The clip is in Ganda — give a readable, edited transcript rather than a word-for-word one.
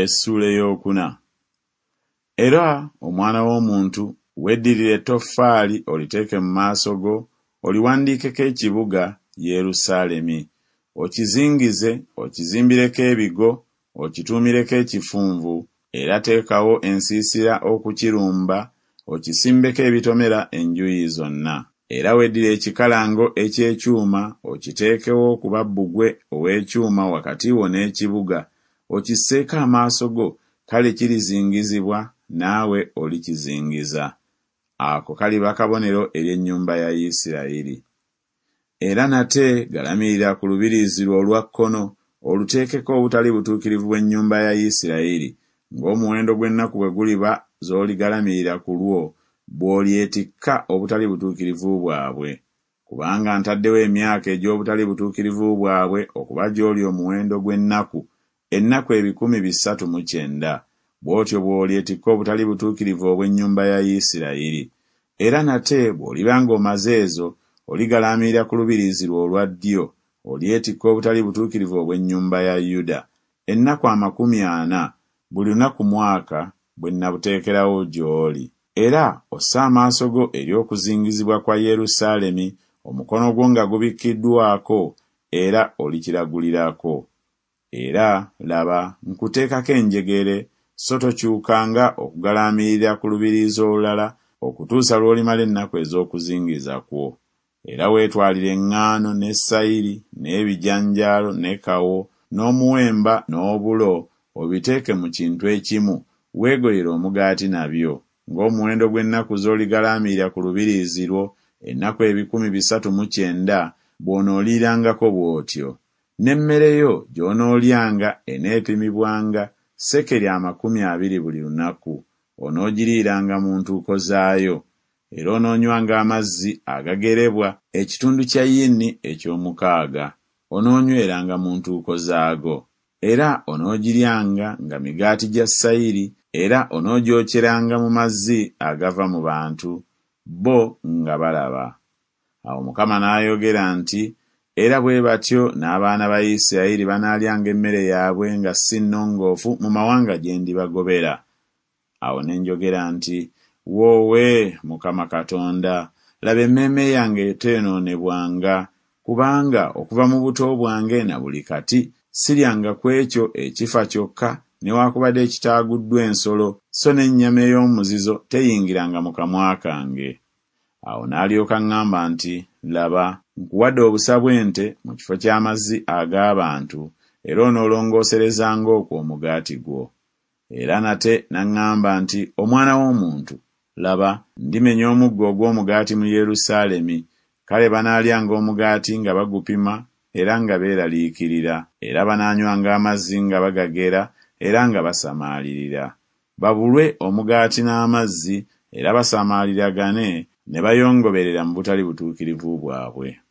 Essuula ey'okuna. Era omwana w'omuntu, weddirire ettoffaali oliteeke mu maaso go, oliwandiikeko ekibuga Yerusaalemi, okizingize, okizimbireko ebigo, okituumireko ekifunvu, era teekawo ensiisira okukirumba, okisimbeko ebitomera enjuuyi zonna. Era weddire ekikalango eky'ekyuma okiteekewo okuba bbugwe ow'ekyuma wakati wo n'ekibuga, okisseeko amaaso go, kale kirizingizibwa, naawe olikizingiza. Ako kaliba kabonero eri ennyumba ya Isirayiri. Era nate galamirira ku lubiriizi lwo olwa kkono, oluteekeko obutali butuukirivu bw'ennyumba ya Isirayiri, ng'omuwendo gw'ennaku bwe guliba z'oligalamirira ku lwo, bw'olyetikka obutali butuukirivu bwabwe. Kubanga ntaddewo emyaka egy'obutali butuukirivu bwabwe okuba gy'oli omuwendo gw'ennaku, ennaku 390, bw'otyo bw'olyetikka obutali butuukirivu obw'ennyumba ya Isirayiri. Era nate bw'oliba ng'omaze ezo, oligalaamirira ku lubiriizi lwo olwa ddyo, olyetikka obutali butuukirivu obw'ennyumba ya Yuda, ennaku 40, buli lunaku mwaka, bwe nnabuteekerawo gy'oli. Era osse amaaso go eri okuzingizibwa kwa Yerusaalemi, omukono gwo nga gubikkiddwako, era olikiragulirako. Era, laba, nkuteekako enjegere, so tokyukanga okugalaamirira ku lubiriizi olulala okutuusa lw'olimala ennaku ez'okuzingiza kwo. Era weetwalire eŋŋaano ne sayiri n'ebijanjaalo ne kawo n'omuwemba n'obulo, obiteeke mu kintu ekimu, weegoyere omugaati nabyo, ng'omuwendo gw'ennaku z'oligalaamirira ku lubiriizi lwo, ennaku 390, bw'onooliirangako bw'otyo. N'emmere yo gy'onoolyanga eneepimibwanga sekeri 20 buli lunaku, onoogiriiranga mu ntuuko zaayo. Era onoonywanga amazzi agagerebwa ekitundu kya yini eky'omukaaga, onoonyweranga mu ntuuko zaago. Era onoogiryanga nga migaati gya sayiri, era onoogyokyeranga mu mazzi agava mu bantu, bo nga balaba. Awo Mukama n'ayogera nti Era bwe batyo n'abaana ba Isiraeri banaalyanga emmere yaabwe nga si nnongoofu mu mawanga gye ndibagobera. Awo ne njogera nti Woowe, Mukama Katonda! laba, emmeeme yange teyonoonebwanga, kubanga okuva mu buto bwange na buli kati siryanga ku ekyo ekifa kyokka newakubadde ekitaaguddwa ensolo, so n'ennyama ey'omuzizo teyingiranga mu kamwa kange. Awo n'alyoka aŋŋamba nti Laba, nkuwadde obusa bw'ente mu kifo ky'amazzi ag'abantu, era onoolongooserezanga okwo omugaati gwo. Era nate n'aŋŋamba nti Omwana w'omuntu, laba, ndimenya omuggo ogw'omugaati mu Yerusaalemi, kale banaalyanga omugaati nga bagupima era nga beeraliikirira, era banaanywanga amazzi nga bagagera era nga basamaalirira, babulwe omugaati n'amazzi, era basamaaliragane ne bayongoberera mu butali butuukirivu bwabwe.